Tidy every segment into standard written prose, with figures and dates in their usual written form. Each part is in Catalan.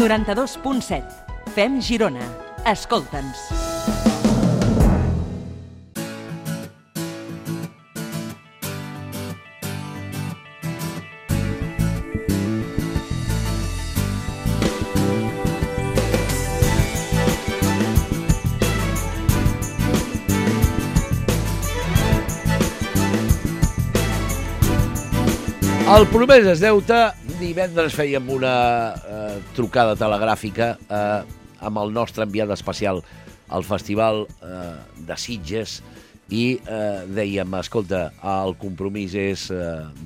92.7. Fem Girona. Escolta'ns. El promès és deute. Divendres fèiem una trucada telegràfica amb el nostre enviat especial al Festival de Sitges i dèiem, escolta, el compromís és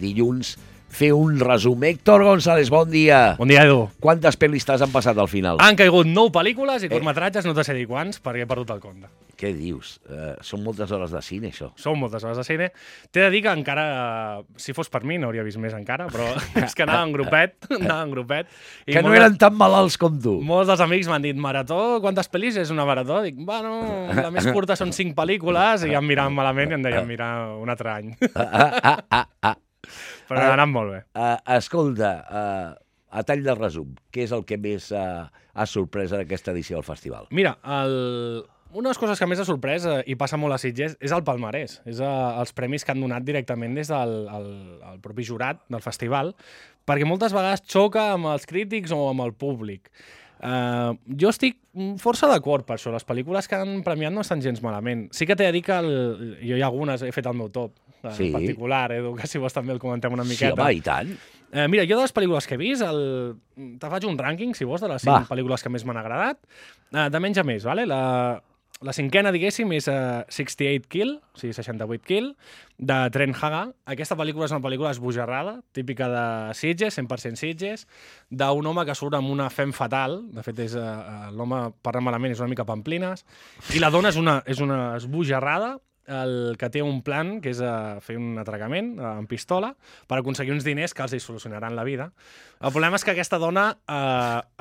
dilluns, fer un resum. Héctor González, bon dia. Bon dia, Edu. Quantes pel·listes han passat al final? Han caigut 9 pel·lícules i curtmetratges, no te sé dir quants, perquè he perdut el compte. Què dius? Són moltes hores de cine, això. Són moltes hores de cine. T'he de dir que encara, si fos per mi, n'hauria vist més encara, però és que anava en grupet. Que no eren tan malalts com tu. Molts dels amics m'han dit, marató, quantes pel·lis és una marató? Dic, bueno, la més curta són 5 pel·lícules, i em miraven malament i em deien, mira, un altre any. Però ha anat molt bé. Escolta, a tall de resum, què és el que més ha sorprès en aquesta edició del festival? Mira, una de les coses que més ha sorprès, i passa molt a Sitges, és el palmarès. És els premis que han donat directament des del propi jurat del festival, perquè moltes vegades xoca amb els crítics o amb el públic. Jo estic força d'acord per això. Les pel·lícules que han premiat no estan gens malament. Sí que t'he de dir que jo hi ha algunes, he fet el meu top, en particular, Edu, que si vols també el comentem una miqueta. Sí, home, i tant. Mira, jo de les pel·lícules que he vist, te faig un rànquing, si vols, de les 5 pel·lícules que més m'han agradat. De menys a més, vale? La cinquena, diguéssim, és 68 Kill, o sigui, 68 Kill, de Trent Haga. Aquesta pel·lícula és una pel·lícula esbojarrada, típica de Sitges, 100% Sitges, d'un home que surt amb una fem fatal. De fet, l'home, parlant malament, és una mica pamplines. I la dona és una esbojarrada, el que té un plan, que és fer un atracament amb pistola per aconseguir uns diners que els hi solucionaran la vida. El problema és que aquesta dona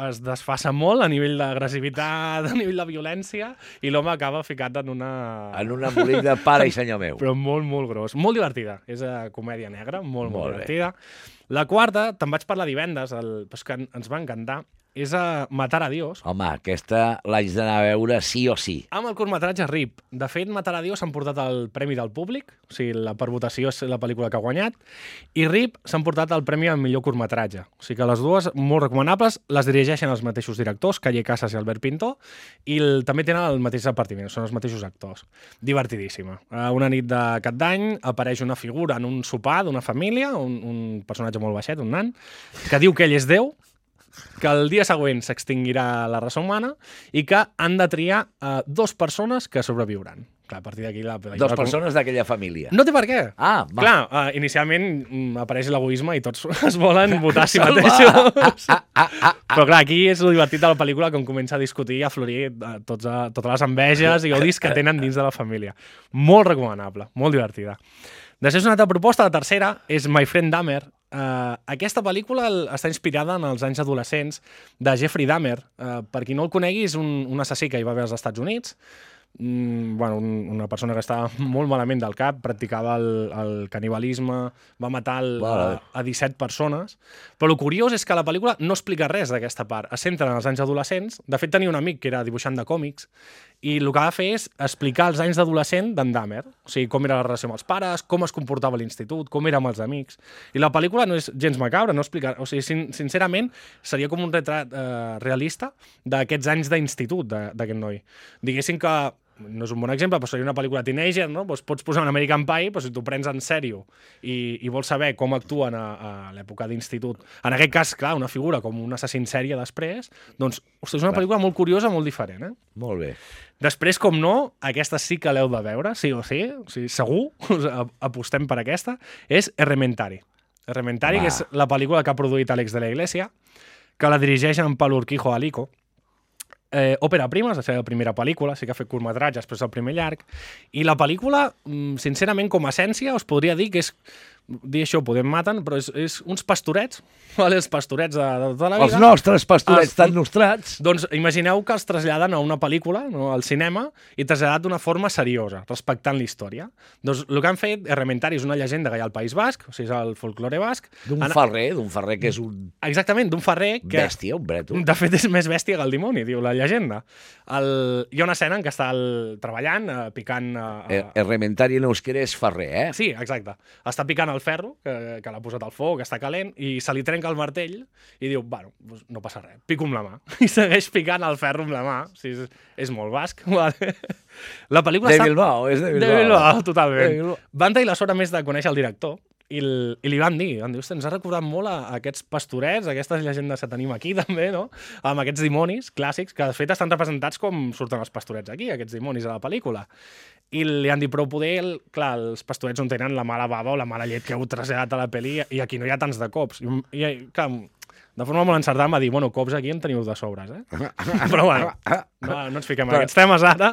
es desfassa molt a nivell d'agressivitat, a nivell de violència, i l'home acaba ficat en una... En un embolic de pare i senyor meu. Però molt, molt gros. Molt divertida. És comèdia negra, molt divertida. La quarta, te'n vaig parlar divendres, però és que ens va encantar, és Matar a Dios. Home, aquesta l'haig d'anar a veure sí o sí. Amb el curtmetratge RIP. De fet, Matar a Dios s'han portat el premi del públic, o sigui, per votació és la pel·lícula que ha guanyat, i RIP s'han portat el premi al millor curtmetratge. O sigui que les dues, molt recomanables, les dirigeixen els mateixos directors, Calle Casas i Albert Pintor, i també tenen el mateix repartiment, són els mateixos actors. Divertidíssima. Una nit de Cap d'Any apareix una figura en un sopar d'una família, un personatge molt baixet, un nan, que diu que ell és Déu, que el dia següent s'extingirà la raça humana i que han de triar 2 persones que sobreviuran. Clar, a partir d'aquí... 2 persones d'aquella família. No té per què. Va. Clar, inicialment apareix l'egoisme i tots es volen votar a si mateixos. Però clar, aquí és el divertit de la pel·lícula, com comença a discutir i a florir totes les enveges i odis que tenen dins de la família. Molt recomanable, molt divertida. Després una altra proposta, la tercera, és My Friend Dahmer. Aquesta pel·lícula està inspirada en els anys adolescents de Jeffrey Dahmer. Per qui no el conegui, és un assassí que hi va haver als Estats Units. Una persona que estava molt malament del cap, practicava el canibalisme, va matar a 17 persones. Però el curiós és que la pel·lícula no explica res d'aquesta part. Es centra en els anys adolescents. De fet, tenia un amic que era dibuixant de còmics i el que va fer és explicar els anys d'adolescent d'en Dahmer. O sigui, com era la relació amb els pares, com es comportava a l'institut, com era amb els amics. I la pel·lícula no és gens macabra, no explica... O sigui, sincerament, seria com un retrat realista d'aquests anys d'institut d'aquest noi. Diguéssim que no és un bon exemple, però seria una pel·lícula teenager, no? Doncs pots posar un American Pie, però si t'ho prens en sèrio i vols saber com actuen a l'època d'institut, en aquest cas, clar, una figura com un assassí en sèrie després, doncs, ostres, és una pel·lícula molt curiosa, molt diferent, Molt bé. Després, com no, aquesta sí que l'heu de veure, sí o sí, segur, apostem per aquesta, és Errementari. Errementari, que és la pel·lícula que ha produït Àlex de la Iglesia, que la dirigeix en Pablo Urquijo Alico. Òpera prima, és la seva primera pel·lícula, sí que ha fet curtmetratge, després el primer llarg, i la pel·lícula, sincerament, com a essència, us podria dir que és dir això, podem maten, però és uns pastorets, vale? Els pastorets de tota la vida. Els nostres pastorets tan nostrats. Doncs imagineu que els traslladen a una pel·lícula, no, al cinema, i traslladat d'una forma seriosa, respectant la història. Doncs el que han fet, Errementari és una llegenda que hi ha al País Basc, o sigui, és el folklore basc. D'un ferrer que és un... Exactament, d'un ferrer que... Bèstia, un breto. De fet, és més bèstia que el dimoni, diu la llegenda. Hi ha una escena en què està treballant, picant... Errementari en euskera és ferrer, eh? Sí, exacte. Està picant el ferro, que l'ha posat al foc, que està calent, i se li trenca el martell i diu, bueno, doncs no passa res, pico amb la mà. I segueix picant el ferro amb la mà. O sigui, és molt basc. Vale. La pel·lícula de Bilbao, és de Bilbao. De Bilbao, totalment. Van tenir la sort, a més, de conèixer el director, i li van dir, ens ha recordat molt a aquests pastorets, aquestes llegendes que tenim aquí també, no? Amb aquests dimonis clàssics, que de fet estan representats com surten els pastorets aquí, aquests dimonis a la pel·lícula. I li han dit, però poder, clar, els pastorets no tenen la mala bava o la mala llet que heu traslladat a la pel·li i aquí no hi ha tants de cops. I clar, de forma molt encertada em va dir, bueno, cops aquí en teniu de sobres, eh? Però bueno, no ens fiquem en aquests temes ara,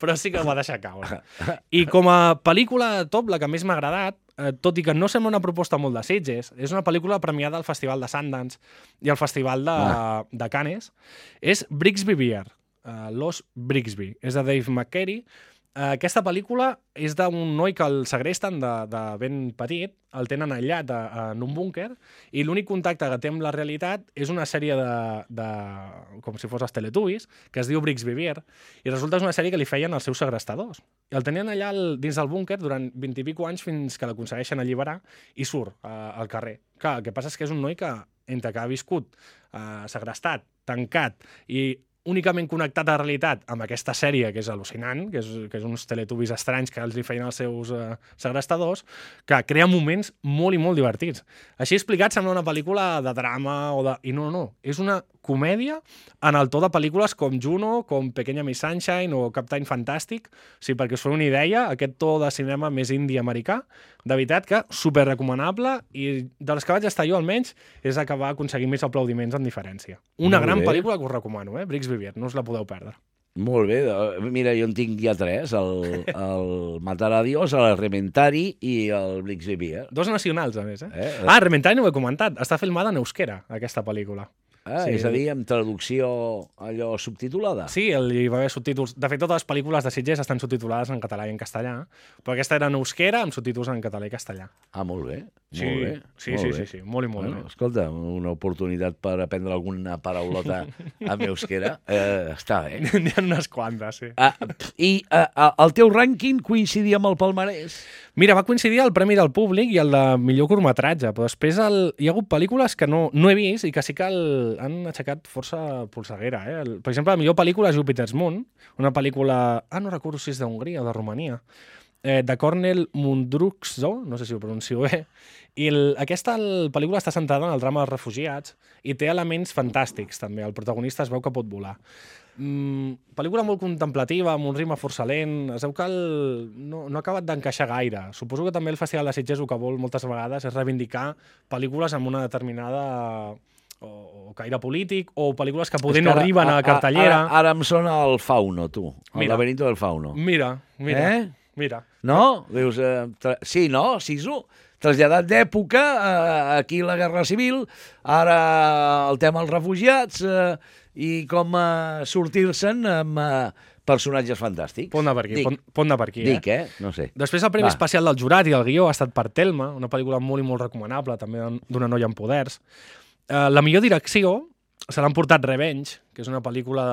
però sí que ho va deixar caure. I com a pel·lícula top, la que més m'ha agradat, tot i que no sembla una proposta molt de Sitges, és una pel·lícula premiada al Festival de Sundance i al Festival de Cannes, és Brixby Bear, Los Brixby, és de Dave McCary. Aquesta pel·lícula és d'un noi que el segresten de ben petit, el tenen aïllat en un búnquer, i l'únic contacte que té amb la realitat és una sèrie com si fos els Teletubbies, que es diu Brixby Bear, i resulta que és una sèrie que li feien els seus segrestadors. I el tenien allà dins del búnquer durant 20 i pico anys fins que l'aconsegueixen alliberar i surt al carrer. Clar, el que passa és que és un noi que, entre que ha viscut segrestat, tancat i únicament connectat a la realitat amb aquesta sèrie, que és al·lucinant, que és uns Teletubbies estranys que els hi feien els seus segrestadors, que crea moments molt i molt divertits. Així explicat, sembla una pel·lícula de drama i no, és una comèdia en el to de pel·lícules com Juno, com Pequeña Miss Sunshine o Captain Fantastic. O sigui, perquè us feu una idea, aquest to de cinema més indi-americà, de veritat que super recomanable, i de les que vaig estar jo almenys és que va aconseguir més aplaudiments en diferència. Una gran pel·lícula que us recomano, Brixby Bear, no us la podeu perdre. Molt bé, mira, jo en tinc ja 3, el Matar a Dios, el Rementari i el Brixby Bear. 2 nacionals, a més, Rementari no ho he comentat, està filmada en euskera, aquesta pel·lícula. Sí. És a dir, amb traducció allò subtitulada? Sí, hi va haver subtítols. De fet, totes les pel·lícules de Sitges estan subtitulades en català i en castellà, però aquesta era en euskera amb subtítols en català i castellà. Ah, molt bé. Sí, molt bé. Sí, molt i molt bé. Escolta, una oportunitat per aprendre alguna paraulota en euskera. Està bé. N'hi ha unes quantes, sí. I el teu rànquing coincidia amb el palmarès? Mira, va coincidir el Premi del Públic i el de millor curtmetratge, però després hi ha hagut pel·lícules que no he vist i que sí que han aixecat força polseguera. Per exemple, la millor pel·lícula és Jupiter's Moon, una pel·lícula... no recordo si és d'Hongria o de Romania, de Cornel Mundruczó, no sé si ho pronuncio bé, i aquesta pel·lícula està centrada en el drama dels refugiats i té elements fantàstics, també. El protagonista es veu que pot volar. Pel·lícula molt contemplativa, amb un ritme força lent. Es veu que no ha acabat d'encaixar gaire. Suposo que també el Festival de Sitges el que vol moltes vegades és reivindicar pel·lícules amb una determinada o caire polític, o pel·lícules que poder no arriben a la cartellera. Ara em sona el Fauno, tu. El laberinto del Fauno. Mira. No? Dius, sí, no? Sisu? Traslladat d'època, aquí la Guerra Civil, ara el tema dels refugiats i com sortir-se'n amb personatges fantàstics. Pot anar per aquí. Dic, no sé. Després el Premi Especial del Jurat i del Guió ha estat per Telma, una pel·lícula molt i molt recomanable, també d'una noia amb poders. La millor direcció se l'han portat Revenge, que és una pel·lícula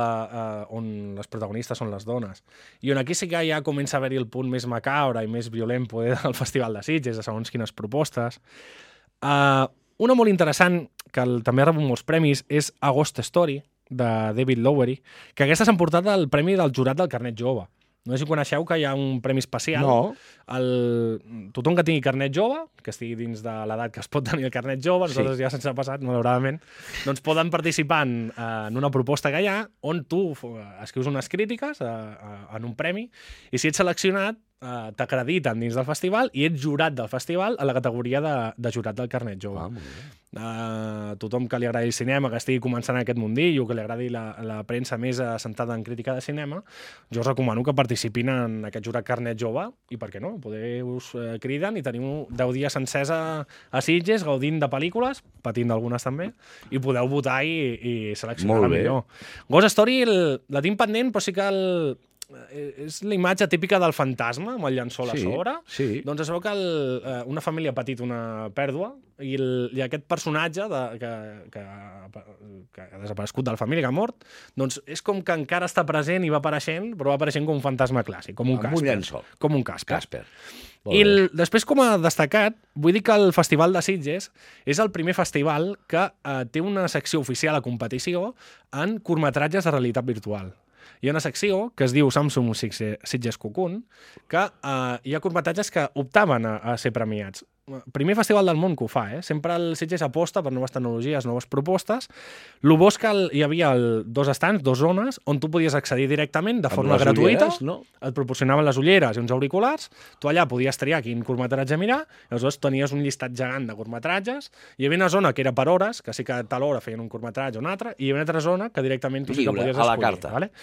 on les protagonistes són les dones, i on aquí sí que ja comença a haver-hi el punt més macabre i més violent del Festival de Sitges, de segons quines propostes. Una molt interessant, que també ha rebut molts premis, és A Ghost Story, de David Lowery, que aquesta s'ha portat el premi del jurat del Carnet Jove. No sé si coneixeu que hi ha un premi especial. No. Tothom que tingui carnet jove, que estigui dins de l'edat que es pot tenir el carnet jove, nosaltres ja se'ns ha passat, malauradament, doncs poden participar en una proposta que hi ha on tu escrius unes crítiques en un premi i si ets seleccionat t'acrediten dins del festival i ets jurat del festival a la categoria de jurat del carnet jove. Molt bé. Tothom que li agradi el cinema, que estigui començant en aquest mundillo, que li agradi la premsa més assentada en crítica de cinema, jo us recomano que participin en aquest jurat carnet jove i, per què no, poder us criden i teniu 10 dies sencers a Sitges, gaudint de pel·lícules, patint d'algunes també, i podeu votar i seleccionar la millor. Ghost Story la tinc pendent, però sí que és la imatge típica del fantasma amb el llençol a sobre. Sí. Doncs es veu que una família ha patit una pèrdua i aquest personatge que ha desaparegut de la família, que ha mort, doncs és com que encara està present i va apareixent, però va apareixent com un fantasma clàssic, com un Casper. Amb un llençol. Com un Casper. I després, com a destacat, vull dir que el Festival de Sitges és el primer festival que té una secció oficial a competició en curtmetratges de realitat virtual. Hi ha una secció que es diu Samsung Sitges Cocoon, que hi ha curtmetratges que optaven a ser premiats. Primer festival del món que ho fa, Sempre el Sitges aposta per noves tecnologies, noves propostes. El bo és que hi havia dos estands, 2 zones, on tu podies accedir directament de forma gratuïta. Et proporcionaven les ulleres i uns auriculars. Tu allà podies triar quin curtmetratge mirar, i aleshores tenies un llistat gegant de curtmetratges. Hi havia una zona que era per hores, que sí que a tal hora feien un curtmetratge o un altre, i hi havia una altra zona que directament tu sí que podies escollir. A la carta. Vale?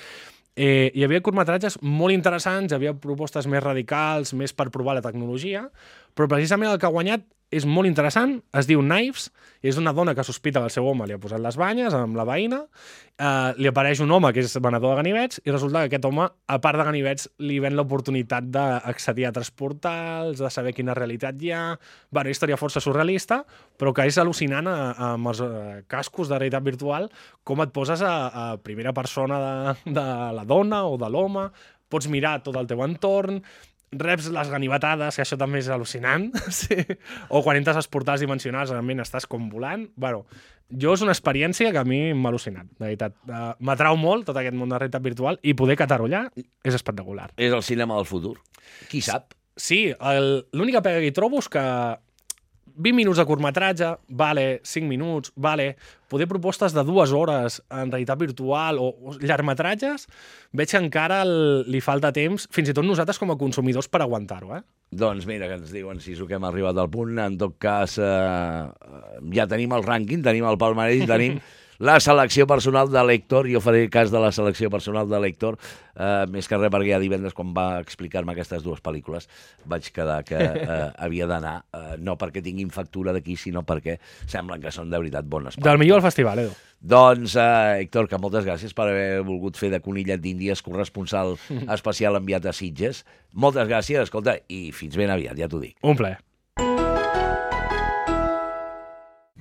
Hi havia curtmetratges molt interessants, hi havia propostes més radicals, més per provar la tecnologia, però precisament el que ha guanyat és molt interessant, es diu Knives, i és una dona que sospita que el seu home li ha posat les banyes amb la veïna, li apareix un home que és venedor de ganivets, i resulta que aquest home, a part de ganivets, li ven l'oportunitat d'accedir a altres portals, de saber quina realitat hi ha. Una història força surrealista, però que és al·lucinant amb els cascos de realitat virtual, com et poses a primera persona de la dona o de l'home, pots mirar tot el teu entorn, reps les ganivetades, que això també és al·lucinant, sí. O quan entres als portals dimensionals realment estàs com volant. Bueno, és una experiència que a mi m'ha al·lucinat, de veritat. M'atrau molt tot aquest món de realitat virtual i poder catar-ho allà és espectacular. És el cinema del futur. Qui sap? Sí, l'única pega que hi trobo és que 20 minuts de curtmetratge, vale, 5 minuts, vale, poder propostes de 2 hores en realitat virtual o llargmetratges, veig que encara li falta temps, fins i tot nosaltres com a consumidors, per aguantar-ho, Doncs mira, que ens diuen si que hem arribat al punt. En tot cas, ja tenim el rànquing, tenim el palmarès, tenim la selecció personal de l'Héctor. Jo faré cas de la selecció personal de l'Héctor, més que res perquè ja divendres, quan va explicar-me aquestes 2 pel·lícules, vaig quedar que havia d'anar, no perquè tinguin factura d'aquí, sinó perquè semblen que són de veritat bones pel·lícules. Del millor del festival, Edu. Doncs, Héctor, que moltes gràcies per haver volgut fer de conillet d'Índies corresponsal especial enviat a Sitges. Moltes gràcies, escolta, i fins ben aviat, ja t'ho dic. Un plaer.